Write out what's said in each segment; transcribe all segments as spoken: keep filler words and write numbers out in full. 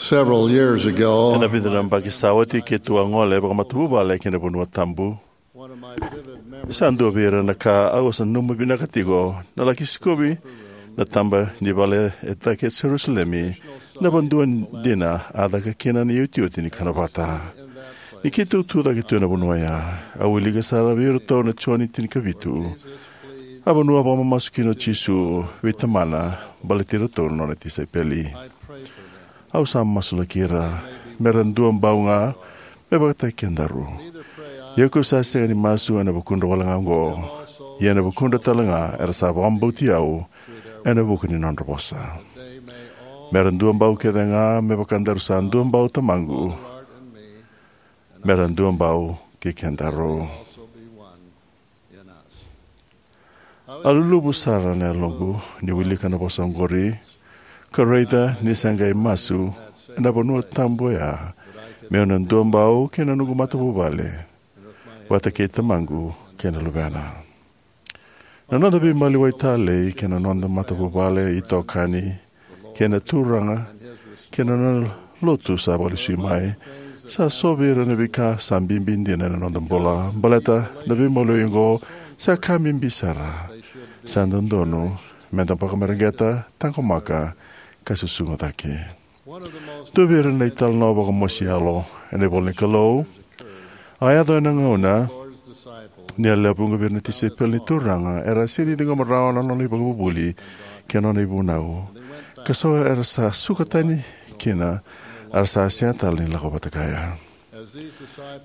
Several years ago, ena vica na yabaki sa oti, keitou a gole vakamatavuvale ki na Vanua Tabu. One of my vivid memories. Sa dua vei ira na ka au sa nanuma vinaka tiko na laki sikovi na taba ni vale e cake e Jerusalemi, na vanua dina a caka kina na iotioti ni kana vata. Ni keitou tu cake tu ena vanua ya, au wilika sara vei iratou na Joni tinikavitu. A vanua a vakamamasu kina o Jisu vei Tamana baleti iratou na nona tisaipeli. Au sa masulaki ira me ra duabau ga me vakataki kedaru. Ia kau sa sega ni masu ena vukudra wale ga oqo, ia ena vukudra tale ga era sa vakabauti au ena vuku ni nodra vosa, me ra duabau kece ga me vaka daru sa duabau Tamaqu, me ra duabau kei kedaru. A luluvu sara na yaloqu ni wilika na vosa oqori, ka raica ni sa qai masu ena Vanua Tabu oya, meu na duabau kei na noqu matavuvale vata kei Tamaqu kei na Luvena. Na noda veimaliwai talei kei na noda matavuvale, itokani, kei na Turaga kei na nona Lotu sa vakalesui mai, sa so vei ira na veika sa bibi dina ena noda bula. Baleta na veimaliwai oqo sa ka bibi sara, sa dodonu meda vakamareqeta, taqomaka, ka susuga cake. Dua vei ira na italanoa vakamosi yalo ena ivolanikalou a yaco ena gauna ni a lewe vuqa vei ira na tisaipeli ni Turaga era a sega ni ciqoma rawa na nona ivakavuvuli kei na nona ivunau, ka so era sa suka tani kina, era sa sega tale ni lako vata kaya.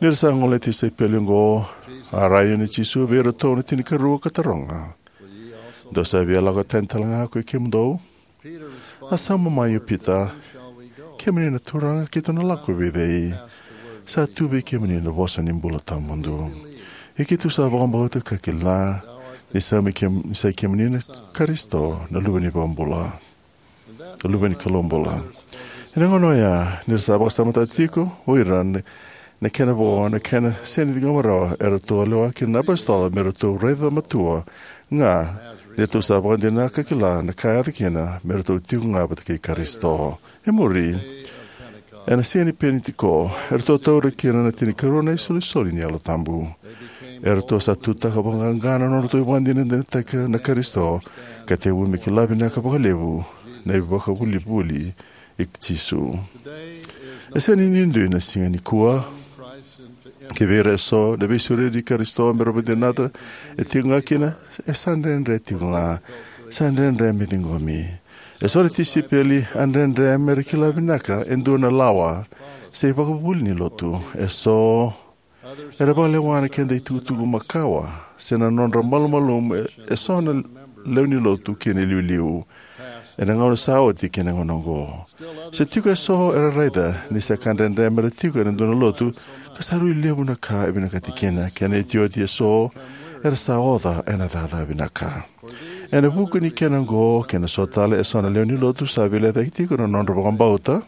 Ni ra sa gole na tisaipeli oqo, a rai yani o Jisu vei iratou na tinikarua ka taroga, "Dou sa via lako tani tale ga ko i kemudou?" A sauma mai o Pita, "Kemuni na Turaga, keitou na lako vei cei? Sa tu vei kemuni na vosa ni bula tawamudu. Ia keitou sa vakabauta ka kila ni sa mai kem-, ni sa i kemuni na Karisito, na Luve ni Vakabula, na Luve ni Kalou bula." Ena gauna oya, ni ra sa vakasamataka tiko o ira na, na kena vo, na kena sega ni ciqoma rawa, eratou a lewa kina na apositolo me ratou raica matua ga ni ratou sa vakadinata ka kila na ka e yaco kina, me ratou tiko ga vata kei Karisito. E muri, ena siga ni Penitiko, eratou taura kina na tinikarua na isolisoli ni Yalo Tabu. Eratou sa tutaka vakaqaqa na nodratou ivakadinadinataka na Karisito, ka tekivu me kila vinaka vakalevu na ivakavuvuli i Jisu. E sega ni duidui na siga nikua. Kivei ira eso, na veisureti i Karisito me ra vakadinata e tiko ga kina, e sa dredre tiko ga. Sa dredre me ciqomi. Eso na tisaipeli a dredre me ra kila vinaka e dua na lawa se ivakavuvuli ni Lotu. Eso era vakalewa na keda itukutuku makawa se na nodra malumalumu e, eso na lewe ni Lotu kei na iliuliu ena gauna sa oti kei na gauna oqo. Se tiko eso era raica ni sa ka dredre me ra tiko ena dua na lotu ka sa rui levu na ka e vinakati kina, kei na iotioti eso era sa oca ena cakacaka vinaka. Ena vuku ni kena oqo kei na so tale, eso na lewe ni Lotu sa veilecayaki tiko na nodra vakabauta,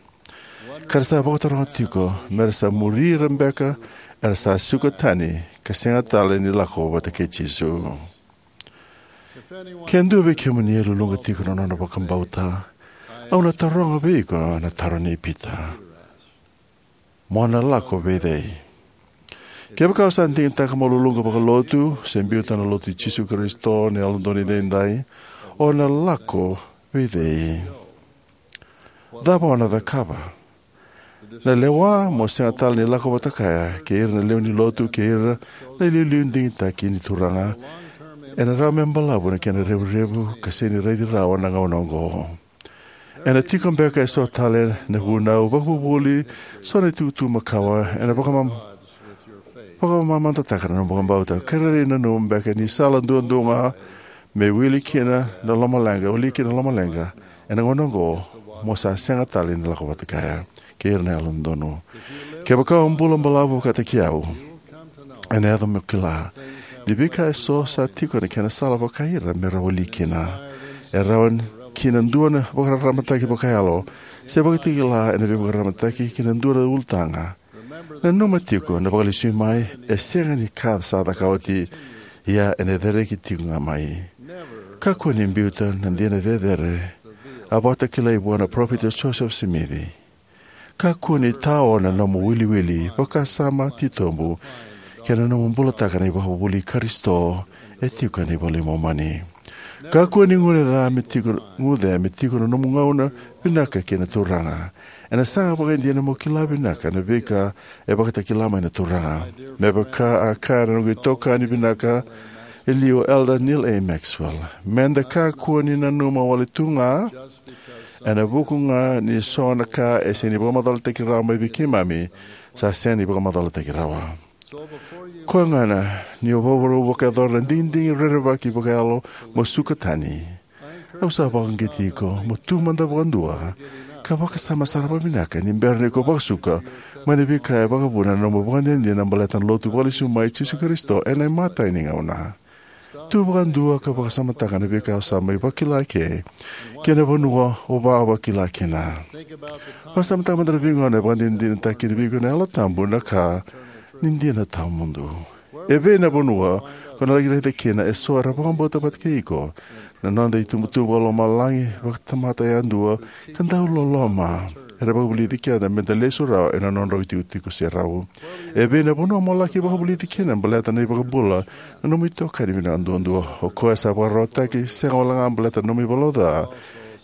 ka ra sa vakataroga tiko me ra sa muri ira beka era sa suka tani ka sega tale ni lako vata kei Jisu. Ke dua vei kemuni e luluqa tiko na nona vakabauta, au na taroga vei iko na taro nei Pita: "Mo na lako vei cei?" Kevaka o sa digitaka mo luluqa vakalotu se biuta na Lotu i Jisu Karisito ni Yalododonu Edaidai, o na lako vei cei? Cava o na cakava? Na lewa mo sega tale ni lako vata kaya kei ira na lewe ni Lotu kei ira na iliuliu digitaki ni Turaga ena rawa me balavu na kena revurevu ka sega ni raici rawa na gauna oqo. Ena tiko beka eso tale na vunau, vakavuvuli, so na itukutuku makawa ena vakamam-, vakamamadataka na nomu vakabauta, ka rairai nanuma beka ni sala duadua ga me wili kina na lomaleqa, wili kina na lomaleqa ena gauna oqo, mo sa sega tale ni lako vata kaya kei ira na yalododonu. Kevaka o bula balavu vakataki au, ena yaco mo kila ni veika eso sa tiko na kena sala vakaira me ra wili kina. E rawa kina dua na vakararamataki vakayalo se vakatakila ena veivakararamataki ki na dua na ulutaga. Nanuma tiko na vakalesui mai e sega ni ka sa caka oti, ia ena cereki tiko ga mai. Kakua ni biuta na dina cecere a vakatakilai vua na Parofita Josefa Simici. Kakua ni tao na nomu wiliwili, vakasama titobu, kei na nomu bulataka na ivakavuvuli i Karisito e tiko ena iVola i Momani. Kakua ni guce me tiko, guce me tiko na nomu gauna vinaka kei na Turaga. Ena saga vakaidina mo kila vinaka na veika e vakatakila mai na Turaga. Me vaka a kaya na noqu itokani vinaka e liu, Elder Neal A. Maxwell, meda kakua ni nanuma wale tu ga ena vuku ga ni so na ka e sega ni vakamacalataki rawa mai vei keimami, sa sega ni vakamacalataki rawa. Koya gona ni o vakarau vakayacora na digidigi rerevaki vakayalo mo suka tani, au sa vakauqeti iko mo tu mada vakadua ka vakasama sara vakavinaka ni bera ni ko vakasuka mai na veika e vakavuna na nomu vakadinadina baleta na Lotu vakalesui mai i Jisu Karisito ena imatai ni gauna. Tu vakadua ka vakasamataka na veika o sa mai vakila eke kei na vanua o vakila kina. Vakasamataka mada na veigauna e vakadinadinataki kina vei iko na Yalo Tabu na ka ni dina tawamudu. E vei na vanua ko na laki raica kina e so era vakabauta vata kei iko, na noda itubutubu vakalomalagi vakatamata yadua ka dau loloma, era vakavulici keda meda lesu rawa ena nodrau itikotiko serau? E vei na vanua mo laki vakavulici kina baleta na iVakabula na nomu itokani vinaka duadua, o koya sa vakararawataki sega wale ga baleta na nomu ivalavala ca,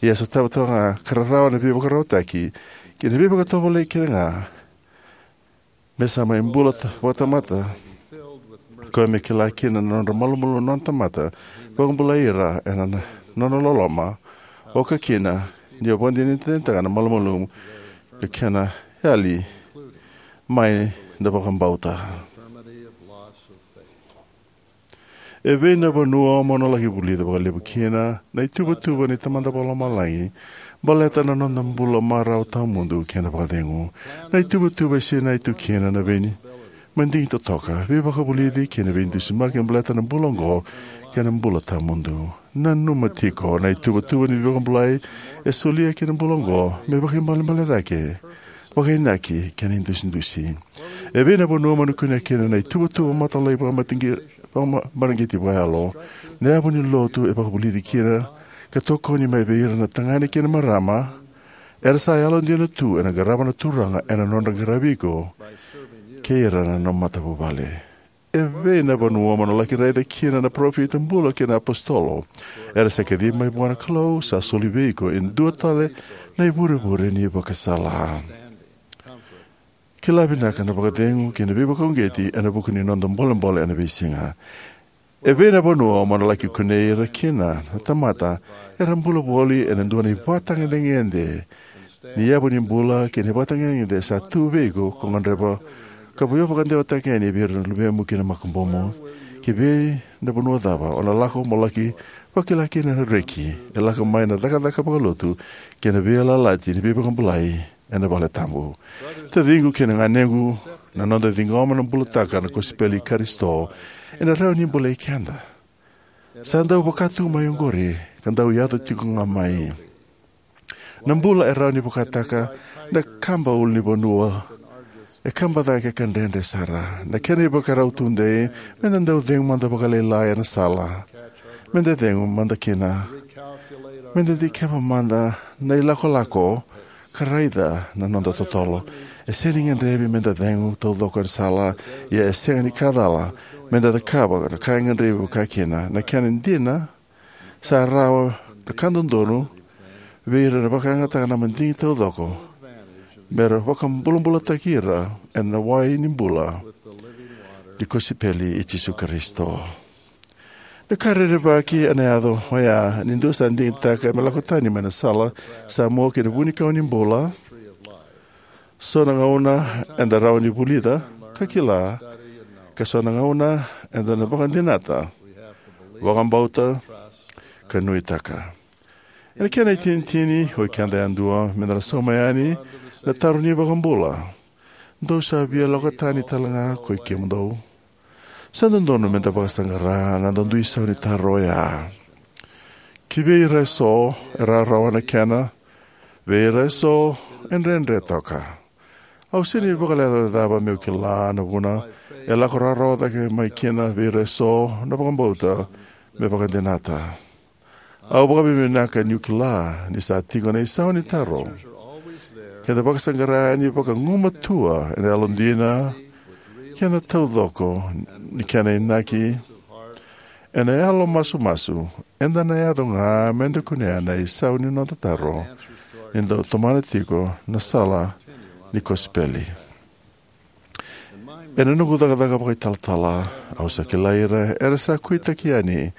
ia sa tautauvata ga ka rarawa na veivakararawataki kei na veivakatovolei kece ga, me sa mai bula ta- vakatamata, koya me kila kina na nodra malumalumu na nona tamata, vakabulai ira ena na- nona loloma, oka kina ni o vakadinadinataka na malumalumu ka kena yali mai na vakabauta. E vei na vanua mo na laki vulica vakalevu kina na ituvatuva ni Tamada Vakalomalagi baleta na noda bula marau tawamudu kei na vakacegu? Na ituvatuva e sinai tu kina na vei madigi totoka, veivakavulici kei na veidusimaki baleta na bula oqo kei na bula tawamudu. Nanuma tiko, na ituvatuva ni veivakabulai e solia ki na bula oqo me vakaibalebale cake, vakainaki kei na idusidusi. E vei na vanua mo na kunea kina na ituvatuva mataqali vakamareqeti vakayalo? Na yavu ni Lotu e vakavulici kina ka tokoni mai vei ira na tagane kei na marama era sa yalodina tu ena qarava na Turaga ena nodra qaravi iko kei ira na nomu matavuvale. E vei na vanua mo na laki raica kina na parofita bula kei na apositolo era sa kacivi mai vua na Kalou, sa soli vei iko e dua tale na ivurevure ni ivakasala, kila vinaka, na vakacegu kei na veivakauqeti ena vuku ni noda bolebole ena veisiga? E vei na vanua mo na laki kunei ira kina na tamata era bula voli ena dua na ivakatagedegede ni yavu ni bula kei na ivakatagedegede sa tu vei iko ko gadreva ka vakadeitaki yani vei ira na luvemu kei na makubumu? Ki vei na vanua cava o na lako mo laki vakila kina na reki e lako mai na cakacaka vakalotu kei na veiyalayalati ni veivakabulai ena vale tabu? Taciqu kei na ganequ, na noda ciqoma na bulataka na kosipeli i Karisito ena rawa ni bolei keda. Sa dau vaka tu mai oqori ka dau yaco tiko ga mai. Na bula e rawa ni vakataka na kaba ulunivanua, e kaba cake ka dredre sara. Na kena ivakarau tudei me da dau cegu mada vakalailai ena sala me da cegu mada kina, me da dikeva mada na ilakolako ka raica na noda totolo. E sega ni gadrevi me da cegu taucoko ena sala, ia e sega ni ka cala me da cakava na ka e gadrevi vakakina. Na kena dina, sa rawa na ka dodonu vei ira na vakayagataka na madigi taucoko me ra vakabulabulataki ira ena wai ni bula ni kosipeli i Jisu Karisito. Na ka rerevaki ena yaco oya ni dua sa digitaka me lako tani mai na sala sa mua ki na vunikau ni bula. So na gauna eda rawa ni vulica ka kila, ka so na gauna eda na vakadinata, vakabauta, ka nuitaka. Ena kena itinitini, o keda yadua meda na sauma yani na taro ni iVakabula: Dou sa via lako tani tale ga koi kemudou? Sa dodonu meda vakasaqara na noda dui sau ni taro oya. Ki vei ira eso e rawarawa na kena, vei ira eso e dredre toka. Au sega ni vakalecalecava meu kila na vuna e lako rawarawa cake mai kina vei ira eso na vakabauta me vakadinata. Au vakavinavinaka niu kila ni sa tiko na isau ni taro Keda vakasaqara yani vakagumatua ena yalodina kei na taucoko ni kena inaki ena yalo masumasu, eda na yaco ga meda kunea na isau ni noda taro ni da tomana tiko na sala ni kosipeli. Ena noqu cakacaka vakaitalatala, au sa kilai ira era sa kuitaki yani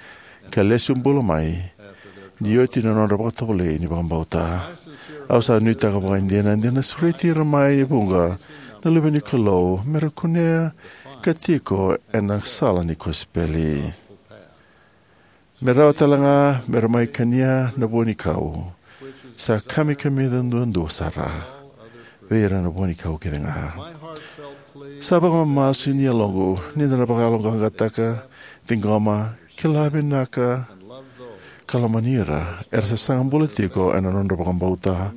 ka lesu bula mai ni oti na nodra vakatovolei ni vakabauta. Au sa nuitaka vakaidina de na sureti ira mai e vuqa na luve ni Kalou me ra kunea ka tiko ena sala ni kosipeli. Me rawa tale ga me ra mai kania na vua ni kau sa kamikamica duadua sara vei ira na vua ni kau kece ga. Sa vakamamasu ni yaloqu ni da na vakayaloqaqataka, ciqoma, kila vinaka, ka lomani ira era sa saga bula tiko ena nodra vakabauta.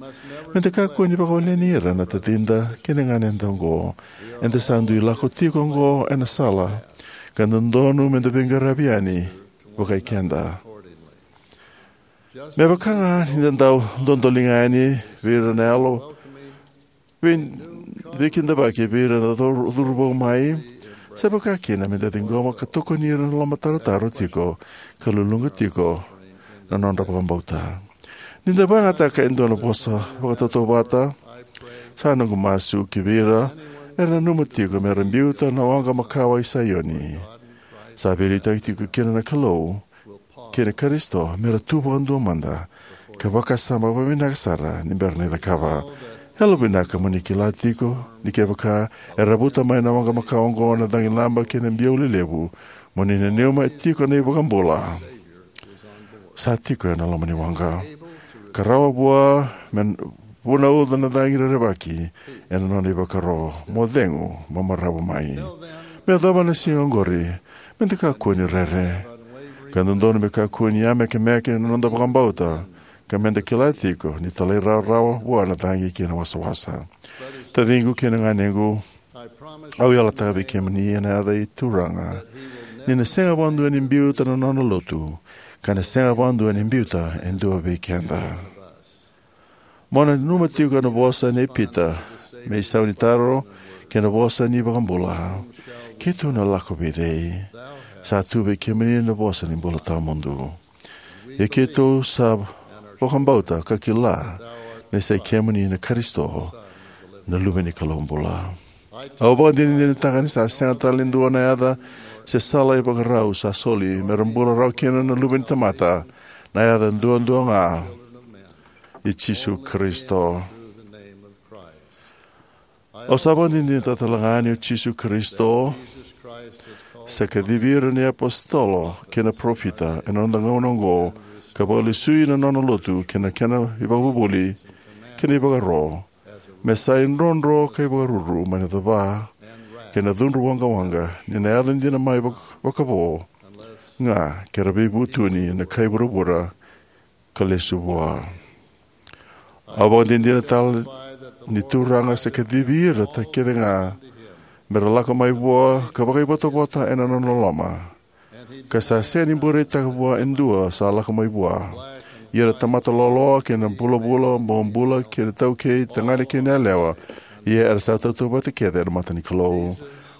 Me da kakua ni vakawaleni ira na tacida kei na ganeda oqo. Eda sa dui lako tiko oqo ena sala ka dodonu me da veiqaravi yani vakai keda. Me vaka ga ni da dau dodoliga yani vei ira na yalo vei, veikidavaki vei ira na curu, curuvou mai, sa vaka kina me da ciqoma ka tokoni ira na lomatarotaro tiko ka luluqa tiko na nodra vakabauta. Ni da vakayagataka e dua na vosa vakatautauvata, sa noqu masu ki vei ira era nanuma tiko me ra biuta na waqa makawa i Saioni. Sa veiliutaki tiko kina na Kalou kei na Karisito me ra tu vakadua mada ka vakasama vakavinaka sara ni bera ni cakava. Yalovinaka mo ni kila tiko ni kevaka era vuta mai na waqa makawa oqo na cagilaba kei na biau lelevu, mo ni nanuma e tiko na iVakabula sa tiko ena loma ni waqa ka rawa vua me vunauca na cagi rerevaki ena nona ivakaro. Mo cegu, mo maravu mai. Me yacova na siga oqori, me da kakua ni rere ka dodonu me kakua ni yamekemeke na noda vakabauta, ka me da kila tiko ni talairawarawa vua na cagi kei na wasawasa. Taciqu kei na ganequ, au yalataka vei kemuni ena yaca i Turaga ni na sega vakadua ni biuta na nona lotu, ka na sega vakadua ni biuta e dua vei keda. Mo nanuma tiko na vosa nei Pita me isau ni taro kei na vosa ni iVakabula: Keitou na lako vei cei? Sa tu vei kemuni na vosa ni bula tawamudu. Ia keitou sa vakabauta ka kila ni sa i kemuni na Karisito, na Luve ni Kalou bula. Au vakadinadinataka ni sa sega tale ni dua na yaca se sala ivakarau sa soli me ra bula rawa kina na luve ni tamata, na yaca duadua ga i Jisu Karisito. Au sa vakadinadinataka talega ni o Jisu Karisito sa kacivi ira na iapositolo kei na parofita ena noda gauna oqo, ka vakalesui na nona lotu kei na kena ivakavuvuli kei na ivakaro, me sa idrodro ka ivakaruru mai na cava kei na cudru waqawaqa, ni na yaco dina mai vak-, vakavo ga ke ra veivutuni na kai vuravura ka lesu vua. Au vakadinadina tale ni Turaga sa kacivi ira ta kece ga me ra lako mai vua ka vakaivotavota ena nona loloma, ka sa sega ni bureitaka vua e dua sa lako mai vua. Ia na tamata loaloa kei na vulavula, bobula kei na taukei, tagane kei na yalewa, ia era sa tautauvata kece ena mata ni Kalou.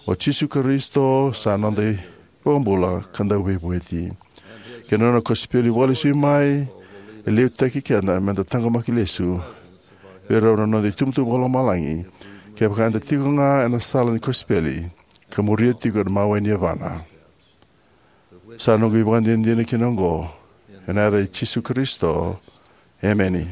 O Jisu Karisito sa noda iVakabula ka Dauveivueti, kei na nona kosipeli vakalesui mai e liutaki keda me da taqomaki lesu vei rau na noda itubutubu vakalomalagi kevaka eda tiko ga ena sala ni kosipeli ka muria tiko na mawe ni yavana. Sa noqu ivakadinadina kina oqo ena yaca i Jisu Karisito, emeni.